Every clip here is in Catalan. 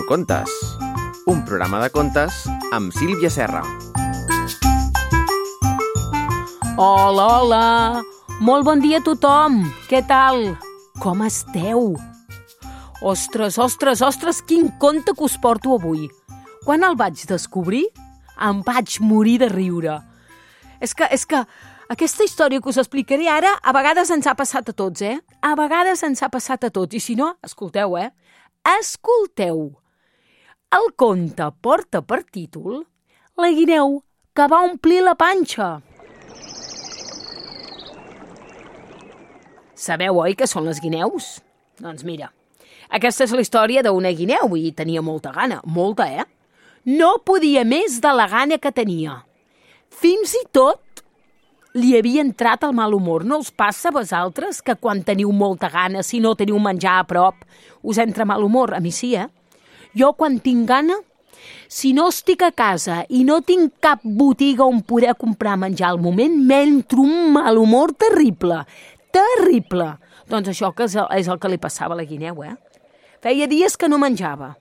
Contes, un programa de contes amb Sílvia Serra. Hola, hola! Molt bon dia a tothom! Què tal? Com esteu? Ostres, quin conte que us porto avui! Quan el vaig descobrir, em vaig morir de riure. És que aquesta història que us explicaré ara a vegades ens ha passat a tots, A vegades ens ha passat a tots. I si no, escolteu, Escolteu! El conte porta per títol La guineu que va omplir la panxa. Sabeu, oi, què són les guineus? Doncs mira, aquesta és la història d'una guineu i tenia molta gana, molta, No podia més de la gana que tenia. Fins i tot li havia entrat el mal humor. No us passa a vosaltres que quan teniu molta gana, si no teniu menjar a prop, us entra mal humor? A mi sí, Jo quan tinc gana, si no estic a casa i no tinc cap botiga on poder comprar menjar al moment, m'entra un mal humor terrible. Terrible! Doncs això que és el que li passava a la guineu, Feia dies que no menjava.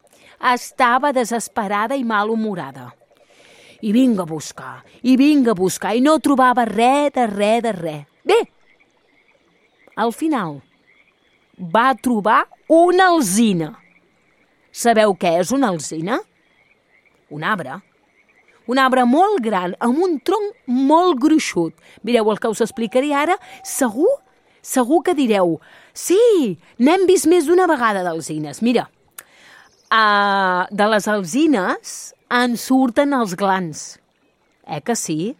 Estava desesperada i malhumorada. I vinga a buscar, i no trobava res de res. Bé, al final va trobar una alzina. Sabeu què és una alzina? Un arbre. Un arbre molt gran, amb un tronc molt gruixut. Mireu, el que us explicaré ara, segur que direu sí, n'hem vist més d'una vegada d'alzines. Mira, de les alzines en surten els glans. Que sí?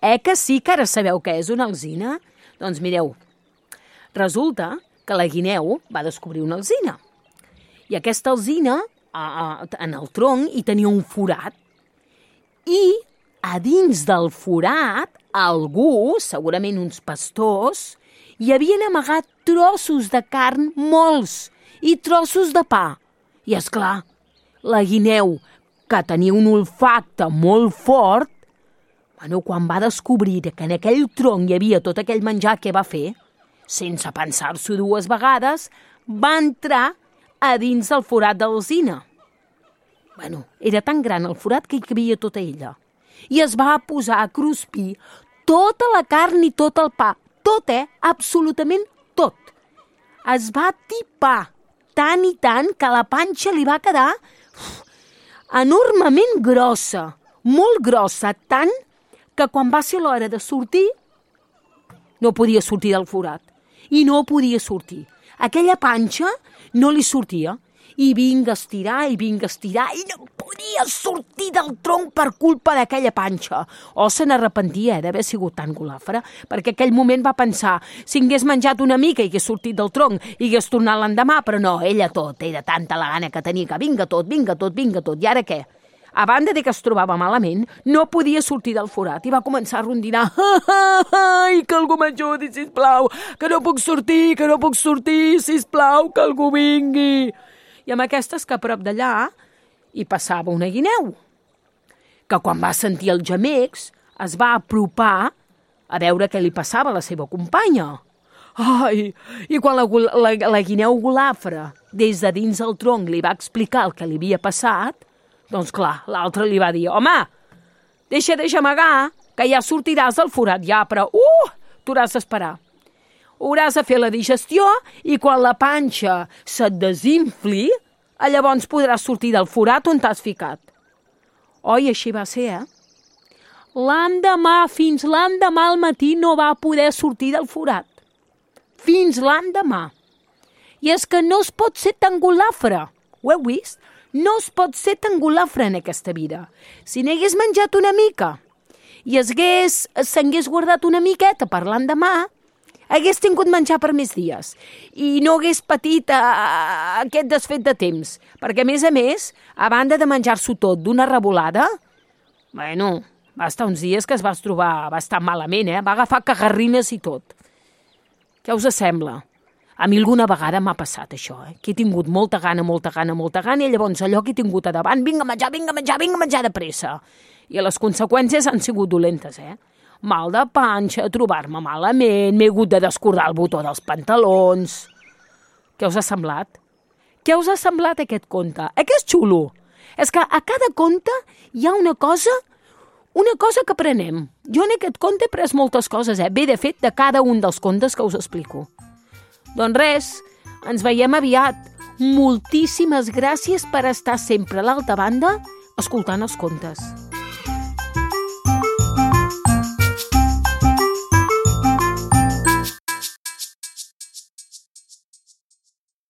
Que sí que ara sabeu què és una alzina? Doncs mireu, resulta que la guineu va descobrir una alzina. I aquesta alzina, en el tronc, hi tenia un forat. I a dins del forat, algú, segurament uns pastors, hi havien amagat trossos de carn molts i trossos de pa. I és clar, la guineu, que tenia un olfacte molt fort, quan va descobrir que en aquell tronc hi havia tot aquell menjar, què va fer? Sense pensar-s'ho dues vegades, va entrar a dins del forat d'alzina. Era tan gran el forat que hi cabia tota ella. I es va posar a cruspir tota la carn i tot el pa. Tot, absolutament tot. Es va tipar tant i tant que la panxa li va quedar enormement grossa, molt grossa, tant que quan va ser l'hora de sortir, no podia sortir del forat. I no podia sortir. Aquella panxa no li sortia. I vinga a estirar, i no podia sortir del tronc per culpa d'aquella panxa. Se n'arrepentia d'haver sigut tan golafra, perquè aquell moment va pensar, si hagués menjat una mica i hagués sortit del tronc i hagués tornat l'endemà, però no, ella tot, era tanta la gana que tenia que vinga tot. I ara què? A banda de que es trobava malament, no podia sortir del forat i va començar a rondinar. Ai, que algú m'ajudi, sisplau, que no puc sortir, sisplau, que algú vingui. I amb aquestes que a prop d'allà hi passava una guineu, que quan va sentir els gemecs es va apropar a veure què li passava a la seva companya. Ai, i quan la guineu golafra des de dins el tronc li va explicar el que li havia passat, doncs clar, l'altre li va dir, home, deixa amagar, que ja sortiràs del forat ja, però t'hauràs d'esperar. Hauràs de fer la digestió i quan la panxa se't desinfli, llavors podràs sortir del forat on t'has ficat. I així va ser, L'endemà, fins l'endemà al matí no va poder sortir del forat. Fins l'endemà. I és que no es pot ser tan golafre. Ho heu vist? No es pot ser tan golafre en aquesta vida. Si n'hagués menjat una mica i s'hagués guardat una miqueta per l'endemà, hagués tingut menjar per més dies i no hagués patit aquest desfet de temps. Perquè, a més, a banda de menjar-s'ho tot d'una revolada, va estar uns dies que es va trobar bastant malament, Va agafar cagarrines i tot. Què us sembla? A mi alguna vegada m'ha passat això, que he tingut molta gana, i llavors allò que he tingut a davant, vinga a menjar de pressa. I les conseqüències han sigut dolentes, Mal de panxa, trobar-me malament, m'he hagut de descordar el botó dels pantalons. Què us ha semblat? Què us ha semblat aquest conte? Que és xulo? És que a cada conte hi ha una cosa que aprenem. Jo en aquest conte he pres moltes coses, Bé, de fet, de cada un dels contes que us explico. Doncs res, ens veiem aviat. Moltíssimes gràcies per estar sempre a l'altra banda escoltant els contes.